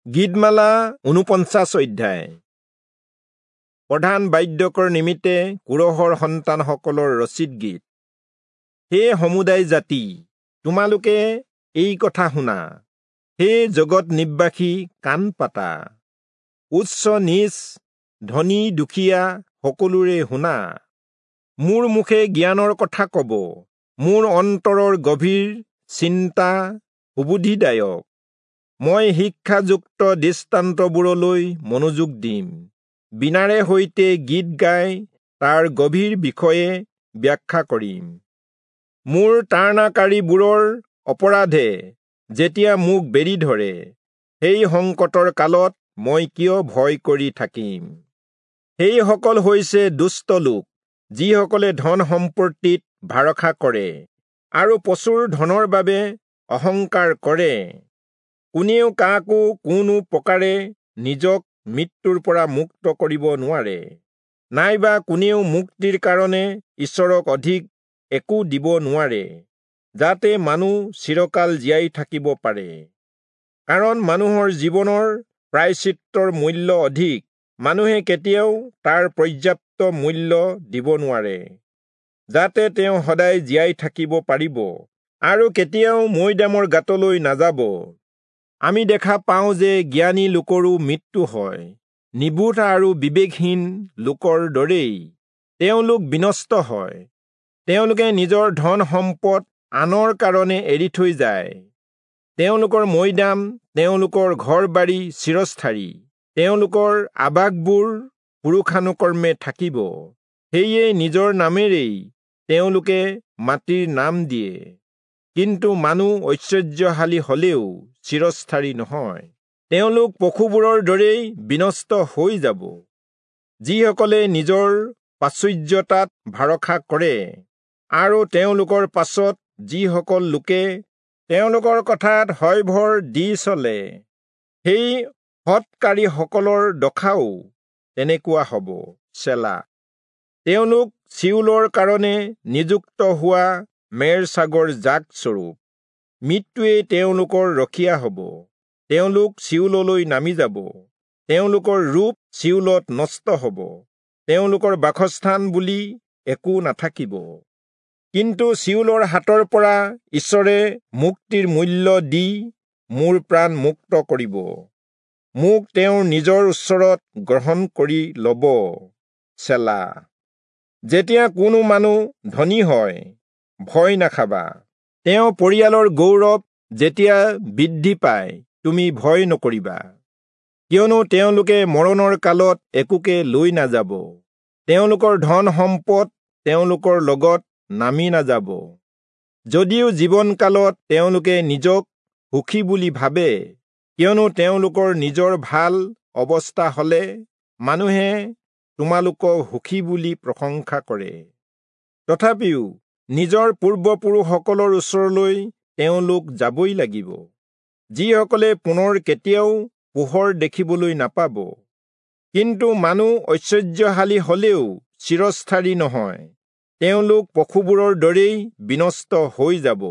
গীতমালা 49 অধ্যায়। প্ৰধান বাদ্যকৰ নিমিত্তে কোৰহৰ সন্তানসকলৰ ৰচিত গীত। হে সমুদায় জাতি, তোমালোকে এই কথা শুনা, হে জগত নিবাসী কাণ পাতা। উচ্চ নীচ, ধনী দুখীয়া সকলোৰে শুনা। মোৰ মুখে জ্ঞানৰ কথা কব, মোৰ অন্তৰৰ গভীৰ চিন্তা সুবুদ্ধিদায়ক। মই শিক্ষাযুক্ত দৃষ্টান্তবোৰলৈ মনোযোগ দিম, বীণাৰে সৈতে গীত গাই তাৰ গভীৰ বিষয়ে ব্যাখ্যা কৰিম। মোৰ তাড়নাকাৰীবোৰৰ অপৰাধে যেতিয়া মোক বেৰি ধৰে, সেই সংকটৰ কালত মই কিয় ভয় কৰি থাকিম? সেইসকল হৈছে দুষ্ট লোক, যিসকলে ধন সম্পত্তিত ভৰসা কৰে আৰু প্ৰচুৰ ধনৰ বাবে অহংকাৰ কৰে। কোনেও কাকো কোনো প্ৰকাৰে নিজক মৃত্যুৰ পৰা মুক্ত কৰিব নোৱাৰে, নাইবা কোনেও মুক্তিৰ কাৰণে ঈশ্বৰক অধিক একো দিব নোৱাৰে, যাতে মানুহ চিৰকাল জীয়াই থাকিব পাৰে। কাৰণ মানুহৰ জীৱনৰ প্ৰায়শ্চিত্তৰ মূল্য অধিক, মানুহে কেতিয়াও তাৰ পৰ্যাপ্ত মূল্য দিব নোৱাৰে, যাতে তেওঁ সদায় জীয়াই থাকিব পাৰিব আৰু কেতিয়াও মৈদামৰ গাঁতলৈ নাযাব। আমি দেখা পাওঁ যে জ্ঞানী লোকৰো মৃত্যু হয়, নিবোধ আৰু বিবেকহীন লোকৰ দৰেই তেওঁলোক বিনষ্ট হয়। তেওঁলোকে নিজৰ ধন সম্পদ আনৰ কাৰণে এৰি থৈ যায়। তেওঁলোকৰ মৈদাম, তেওঁলোকৰ ঘৰ বাৰী চিৰস্থায়ী, তেওঁলোকৰ আৱাসবোৰ পুৰুষানুক্ৰমে থাকিব। সেয়ে নিজৰ নামেৰেই তেওঁলোকে মাটিৰ নাম দিয়ে। কিন্তু মানুহ ঐশ্বৰ্যশালী হলেও চিৰস্থায়ী নহয়, তেওঁলোক পশুবোৰৰ দৰেই বিনষ্ট হৈ যাব। যিসকলে নিজৰ প্ৰাচুৰ্যতাত ভৰসা কৰে আৰু তেওঁলোকৰ পাছত যিসকল লোকে তেওঁলোকৰ কথাত হয়ভৰ দি চলে, সেই সৎকাৰীসকলৰ দশাও তেনেকুৱা হ'ব। চেলা। তেওঁলোক চিউলৰ কাৰণে নিযুক্ত হোৱা মেৰ ছাগৰ জাক স্বৰূপ। মৃত্যুৱেই তেওঁলোকৰ ৰখীয়া হ'ব, তেওঁলোক চিউললৈ নামি যাব। তেওঁলোকৰ ৰূপ চিউলত নষ্ট হ'ব, তেওঁলোকৰ বাসস্থান বুলি একো নাথাকিব। কিন্তু চিউলৰ হাতৰ পৰা ঈশ্বৰে মুক্তিৰ মূল্য দি মোৰ প্ৰাণ মুক্ত কৰিব, মোক তেওঁৰ নিজৰ ওচৰত গ্ৰহণ কৰি ল'ব। চেলা। যেতিয়া কোনো মানুহ ধনী হয়, ভয় নাখাবা। তেওঁ পৰিয়ালৰ গৌৰৱ যেতিয়া বৃদ্ধি পায়, তুমি ভয় নকৰিবা। কিয়নো তেওঁলোকে মৰণৰ কালত একোকে লৈ নাযাব, তেওঁলোকৰ ধন সম্পদ তেওঁলোকৰ লগত নামি নাযাব। যদিও জীৱনকালত তেওঁলোকে নিজক সুখী বুলি ভাবে, কিয়নো তেওঁলোকৰ নিজৰ ভাল অৱস্থা হলে মানুহে তোমালোকক সুখী বুলি প্ৰশংসা কৰে, তথাপিও নিজৰ পূৰ্বপুৰুষসকলৰ ওচৰলৈ তেওঁলোক যাবই লাগিব, যিসকলে পুনৰ কেতিয়াও পোহৰ দেখিবলৈ নাপাব। কিন্তু মানুহ ঐশ্বৰ্যশালী হলেও চিৰস্থায়ী নহয়, তেওঁলোক পশুবোৰৰ দৰেই বিনষ্ট হৈ যাব।